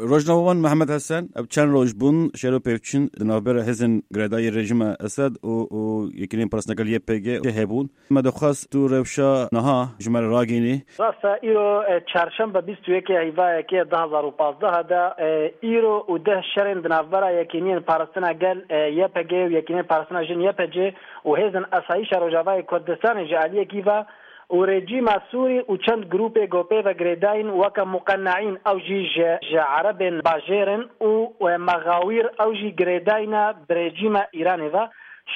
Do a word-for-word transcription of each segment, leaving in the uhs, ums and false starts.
Rojnamevan Mehmet Hesen, ev çend roj bûn şer û pevçûn di navbera hêzên girêdayî rejîma Esed û, û Yekîneyên Parastina Gel Y P G hebûn. Me dixwest tu rewşa niha ji me re ragihînî. Rast e, îro, e, çarşembe bîst û yekê heyva yekê du hezar û pazdeh de, e, îro û deh şerên di navbera Yekîneyên Parastina Gel, e, Y P G û Yekîneyên Parastina Jin Y P C û hêzên Asayîşa Rojavayê Kurdistanê ji aliyekî ve û rejîma Sûrî û çend grûpê ku pê ve girêdayîn weke muqeneîn, ew jî ji, ji erebên bajêr in û, e, mexawîr, ew jî girêdayî ne bi rejîma Îranê ve.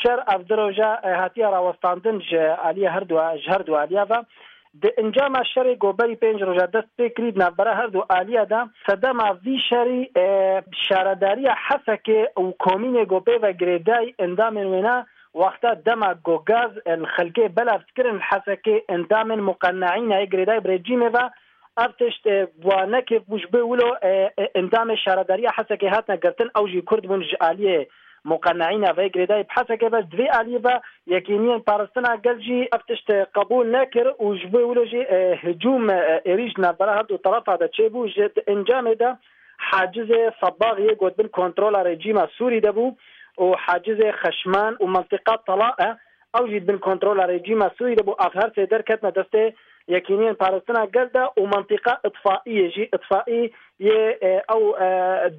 Şer ev du roja, e, hatiye rawestandin ji aliyê her du, ji her du aliya ve. Di encama şerê ku berî pênc roja dest pê kirî di navbera her du aliya de, sedema vî şerî, e, şaredariya Hesekê û komînê ku pê ve girêdayî endamên wêna, wexta dema ku gaz, e, li xelkê belav dikirin li Hesekê, endamên muqeneîna yê girêdayî bi rejîmê ve, ev tişt, e, wa nekevbû ji bo wilo, e, e, endamê şaredariya Hesekê hatine girtin, ew jî Kurd bûn ji aliyê muqeneîna vê girêdayî bi Hesekê ve, ji vê aliyê ve Yekîniyên Parastina Gel jî ev tişt qebûl nekir û ji bo wilo jî, e, hicûm, e, êrîş di navbera her du terefa de çêbû. Ji di encamê de hacizê Sebax yê ku di bin kontrola rejîma Sûrî de bû û hacizê Xeşman û mentiqa Tala e, ew jî di bin kontrola rejîma Sûrî de bû. Ev her sê derketine destê Yekîniyên Parastina Gel de û mentiqa Îtfaiyê jî, Îtfaî yê, e, ew, e,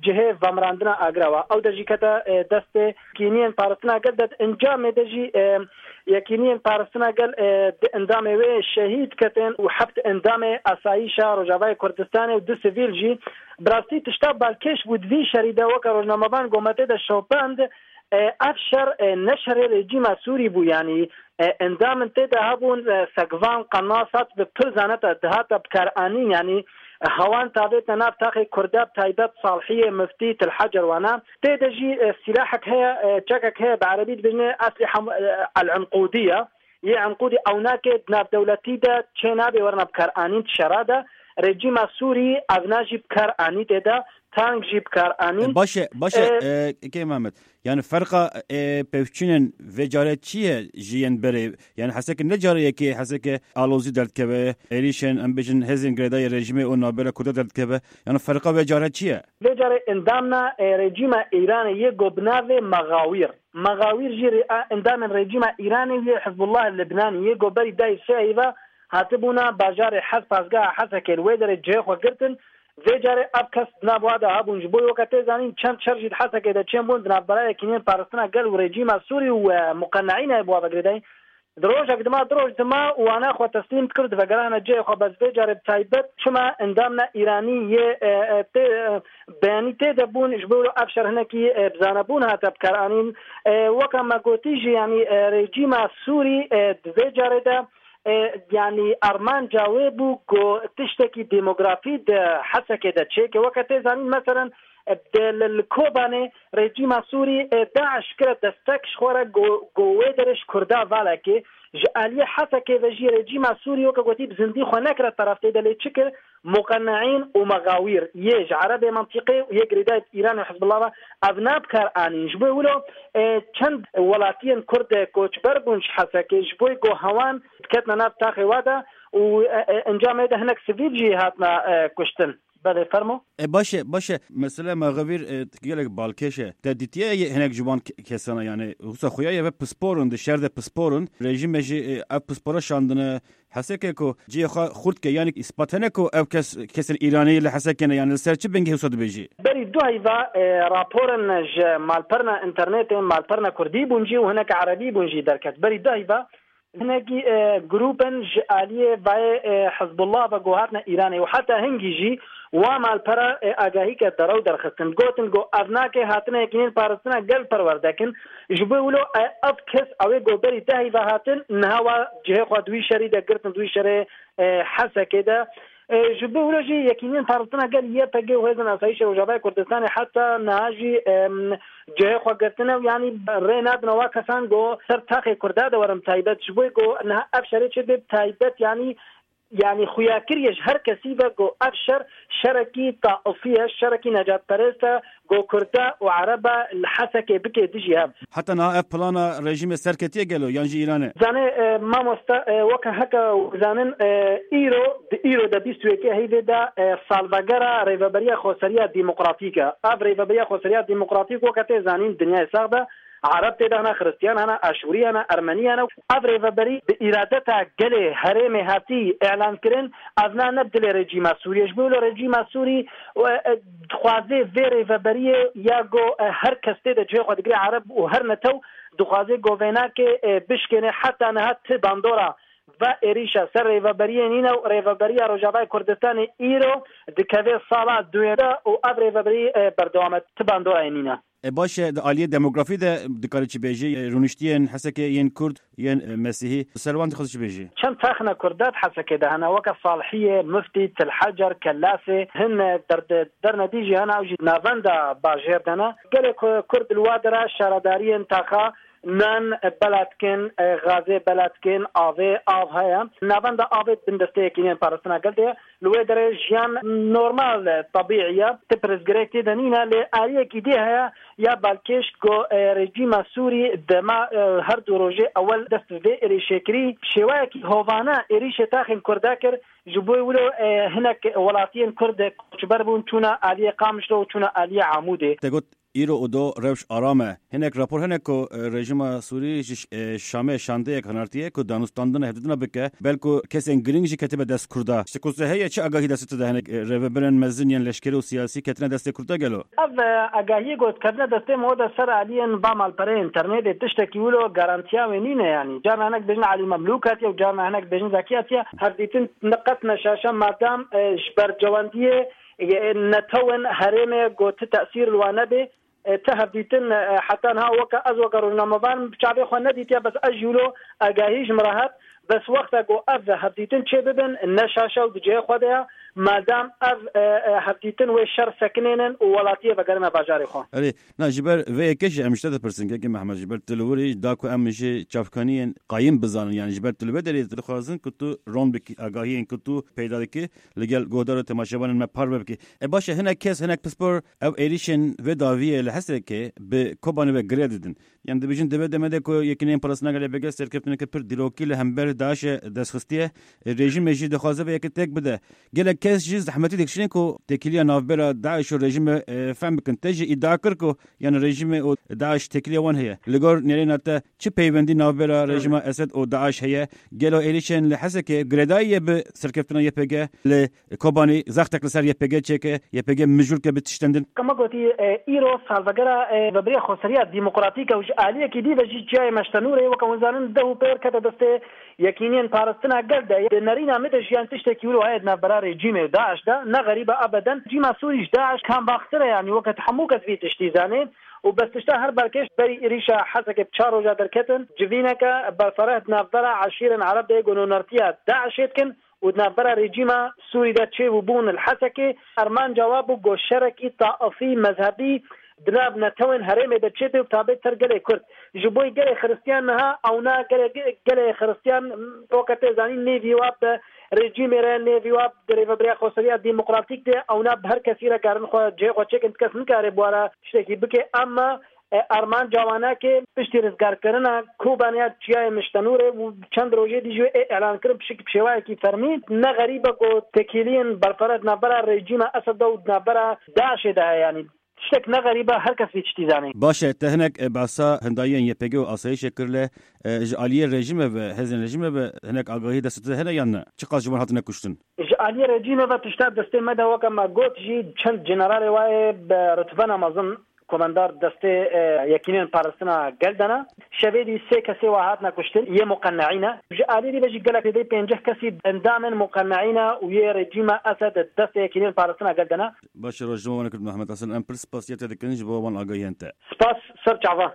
cihê vemirandina agra wa. Ew de jî kete, e, destê Yekîniyên Parastina Gel de. Di encamê de jî, e, Yekîniyên Parastina Gel, e, di endamê wê şehîd ketin û heft endamê Asayîşa Rojavayê Kurdistanê û du sivîl jî. Bi rastî tişta balkêş bû di vî şerî de, weke rojnamevan ku me tê de şopand, e, ev şer, e, ne şerê rejîma Sûrî bû, yanî, e, endamên tê de hebûn, e, segvan, qenasat bi pir zaneta dihata bikaranîn, yanî, e, hewan tavête nav taxê Kurda, bi taybet Salhiyê, Miftî, Til Hecer wana. Tê de jî, e, sîlahek heye, e, çekek heye, bi erebî dibêjin eslîha, e, el-Enqûdiye. Yê Enqûdî ewnakê di navdewletî de çê nabe werine bikaranîn di şera de. Rejîma Sûrî evna jî bikaranî tê de, tank jî bikaranîn. E, baş e, baş e, E, e, Kê Mehmet. Yani ferqa, e, pevçûnên vê care çi ye ji yên berê? Yani heseke ne care yekê, heseke alozî derdikeve, êrîşên, em bêjin, hêzên girêdayî rejîmê û navbera Kurda derdikeve. Yani ferqa vê care çi ye? Vê care endamna, e, rejîma Îranê yê ku bi navê Mexawîr. Mexawîr jî re-, a, endamên rejîma Îranê yê Hizbullah Libnanî yê ku berî dayê sê heyva hatibûna bajarê Hes, pazgeha Hesekê li wê derê cihê xwe girtin. Vê carê ev kes di nav wa de hebûn. Ji bo weke tê zanîn, çend şer jî di Hesekê de çêbûn di navbera Yekîniyên Parastina Gel û rejîma Sûrî û, e, muqeneîna yê bi wa ve girêdayî. Di rojek dima, du roj dima wana xwe teslîm dikir, divegerahne cihê xwe. Bes vê carê bi taybet çima endamna Îranî yê, e, e, tê, e, beyanî tê de bûn, ji bo ev şer hinekî, e, bi zanebûn hate bikaranîn. E, weke me gotî jî, yanî, e, rejîma Sûrî, e, di vê carê de, e, yanî armanca wê bû ku tiştekî demografî di Hesekê de çêke. Weke tê zanîn, meselen, e, di, li, li Kobanê rejîma Sûrî, e, DAIŞ kire destek ji xwe re ku, ku wê derê ji Kurda valekê. Ji aliyê Hesekê ve jî rejîma Sûrî, weke gotî, bi zindî xwe nekire teref tê de, lê çi kir? Muqeneîn û mexawîr yê ji erebê mentiqê û yê girêdayî Îran û Hizbullah ve ev nabikar anîn. Ji bo wilo, e, çend welatiyên Kurd, e, koçber bûn ji Hesekê, ji bo ku hewan diketine nav taxê wa de û, e, e, encamê de hinek sivîl jî hatine, e, kuştin. Belê, fermo. E, baş e, baş e. Mesele mexawîr, e, gelek balkêş e. Te dîtiye hinek ji wan ke-, kesana, yani, wisa xuya ye ve pisporin, di şer de pisporin. Rejîme jî, e, ev pispora şandine, Heseke ku cihê xwe xurt ke, yanî îspat hene ku ev kes, kesên Îranî li Hesekê ne, yanî li ser çi bingehê wisa dibêjî? Berî du heyva, e, raporên ji malperna înternetê, malperna kurdî bûn jî û hineke erebî bûn jî derket. Berî du heyva hinekî, e, grûpên ji aliyê vayê, e, Hizbullah ve ku hatine Îranê û heta hingî jî wa malpera, e, agahî ke derew derxistin. Gotin ku ev nake hatine Yekînên Parastina Gel perwerdekin. Ji bo wilo, e, ev kes ew ê ku berî dehî ve hatin, niha wa cihê xwe di wî şerî de girtin, di wî şerê, e, Hesekê de. E, ji bo wilo jî Yekîniyên Parastina Gel, Y P G, û Hêzên Asayîşê Rojavayê Kurdistanê heta niha jî, em, cihê xwe girtine û yanî rê nadine wa kesan ku ser taxê Kurda de werin taybet. Ji bo ku niha ev şerê çêbe bi taybet, yanî Yanî xuya kiriye ji her kesî ve ku ev şer şerekî taifî ye, şerekî necatperest e, ku Kurda û Ereba li Hesekê bike dijî hev. Heta niha ev plana rejîmê serketiye gelo yan jî Îranê? Zanê, e, mamosta, e, weke heke zanin, e, îro, di îro de bîst û yekê heyvê de, e, salvegera Rêveberiya Xweseriya Demokratîk e. Ev Rêveberiya Xweseriya Demokratîk weke tê zanîn dinyayê sax de Ereb tê de hene, Xiristiyan hene, Aşûrî hene, Ermenî hene. Ev rêveberî bi îradeta gelê herêmê hatî îlan kirin. Ev na ne dilê rejîma Sûriyê. Ji bo wilo rejîma Sûrî, e, e, dixwaze vê rêveberiyê ya go, e, her kes tê de cihê xwe digire Ereb û her netew dixwaze govênakê, e, bişkêne. Heta niha ti bandora ve êrîşa ser rêveberiyê nîne û rêveberiya Rojavayê Kurdistanê îro dikeve sala duyê de û ev rêveberî, e, berdewam e. Ti bandorayê nîne. E, baş e, di aliyê demografî de dikarî çi bêjî? E, rûniştiyên Hesekê yên Kurd, yên, e, Mesîhî, ser wan dixwazî çi bêjî? Çend texne Kurda di Hesekê de hene, weke Salihiyê, Muftî, Til Hecer, Kellasê, hin, e, derde-, dernedî jî hene, ew jî navenda bajêr de ne. Gelê Ku-, Kurd li wa dera şaredariyên taxa nan, e, bela dikin, e, gazê bela dikin, avê, av heye. Navenda avê di bin destê Yekîniyên Parastina Gel de ye. Li wê derê jiyan normal e, tebîî ye. Ti pirsgirêk tê de nîne, lê aliyekî dî heye ya balkêş ku, e, rejîma Sûrî dema, e, her du rojê ewel dest bi vê êrîşê kirî, şêwayekî hovane êrîşê taxên Kurda kir. Ji bo wilo, e, hinek welatiyên Kurd koçber bûn, çûne aliyê Qamişlo û çûne aliyê Amûdê. Te got, îro û do rewş aram e. Hinek rapor hene ku, e, rejîma Sûrî ji, e, Şamê şandeyek hinartiye ku danûstandina hevdîtina bike, belku kesên girîng jî ketibe dest Kurda. Ji te ku heye, çi agahî destê tu de hene, e, rêveberên mezin yên leşkerî û siyasî ketine destê Kurda gelo? Ev, e, agahiyê ku diketine destê me, o de ser aliyên va malpereyê înternetê tiştekî wilo garantiya wê nîne yanî. Carna hinek bêjin Elî Memlûk hatiye û carna hinek bêjin Zekî hatiye. Hevdîtin ne qet ne şaş e madam, e, ji bercewendiyê, e, netewên herêmê ku ti tesîr li wan nebe. E, ti hevdîtin, e, heta niha weke ez, weke rojnamevan, bi çavê xwe nedîtiye, bes ez jî wilo agahî ji min re hat. Bes wexta ku ev hevdîtin çê bibin, ne şaş e û di cihê xwe de ye. Madam ev, e, e, hevdîtin wê şer sekinênin û welatiyê vegerine bajarê xwe. Erê, na, ji ber vê yekê jî em ji te dipirsin, Kekê Mehmed, ji ber tu li wir î, da ku em ji çavkaniyên qayîm bizanin, yanî ji ber tu li vê derê dixwazin ku tu ron bikî, agahiyên ku tu peyda dikî, li gel guhdar û temaşevanên me parve bikî. E, baş e, hinek kes, hinek pispor ev êrîşên vê dawiyê li Hesekê bi Kobanê ve girê didin. Yanî dibêjin, di vê demê de ku Yekîneyên Parastina Gelê, Y P G, serkeftineke pir dîrokî li hember DAIŞê dest xistiye, e, rejîmê jî dixwaze vê yekê têk bide. Gelek kes jî zehmetî dikişînin ku têkiliya navbera DAIŞ û rejîmê, e, fehm bikin. Te jî îdia kir ku, yanî, rejîmê û DAIŞ têkiliya wan heye. Li gor nêrîna te, çi peywendî navbera rejîma Esed û DAIŞ heye? Gelo êrîşên li Hesekê girêdayî ye bi serkeftina Y P G li Kobanî? Zextek li ser Y P G çêke, Y P G mijûl ke bi tiştendin? Ka me gotî, e, îro salvegera, e, Rêveberiya Xweseriya Demokratîk e û ji aliyekî dî ve jî çiyayê Meştenûrê, weke hûn zanin, deh û pêr kete destê Yekîniyên Parastina Gel de. Di nerîna min de jiyan tiştekî wilo heye di navbera rejîmê û DAIŞ de. Ne xerîb e, ebeden. Rejîma Sûrî ji DAIŞ kambaktir e, yanî weke hemû kes vî tiştî zanê. Û bes tişta her balkêş berî êrîşa Hesekê bi çar roja derketin, civîneke berfereh di navbera eşîrên Ereb de yê ku nûnertiya DAIŞê dikin û di navbera rejîma Sûrî de çêbûbûn li Hesekê, armanca wa bû ku şerekî taifî, mezhebî di nav netewên herêmê de çêbe û bi taybet ser gelê Kurd. Ji bo gelê Xiristiyan niha ewna gelê, gelê Xiristiyan, weke tê zanîn, nêvî wa bi rejîmê re, nêvî wa bi Rêveberiya Xweseriya Demokratîk de, ewna bi her kesî re karin xwe cihê xwe çêkin, ti kes nikare bi wan re tiştekî bike. Ema, e, armanca wan e ku piştî rizgarkirina Kobanê ya çiyayê Miştenûrê û çend rojê dî jî wê ê îlan kirin, pişik bi şêwayekî fermî. Ne xerîb e ku têkiliyên berfereh di navbera rejîma Esed de û di navbera DAIŞê de heye, yanî tiştek ne xerîb e, her kes vî tiştî zanî. Baş e, te hinek, e, behsa hindayiyên Y P G û asayişê kir, lê, e, ji aliyê rejîmê ve, hêzên rejîmê ve hinek agahî destê te hene yan ne? Çiqas ji wan hatine kuştin? Ji aliyê rejîmê ve tişta destê me de, weke me got jî, çend generalê wa yê bi rutbena mezin komendar destê, e, Yekînên Parastina Gel de ne. Şevê dî sê kesê wa hatine kuştin, yê muqeneî ne. Ji aliyê dî ve jî gelek zêdeyî pêncî kesî endamên muqeneî ne û yê rejîma Esed di destê Yekînên Parastina Gel de ne. Baş e, rojname wan kir Mehmet Hasan. Em pir spasiya te dikin ji bo wan agahiyên te. Spas ser çavan.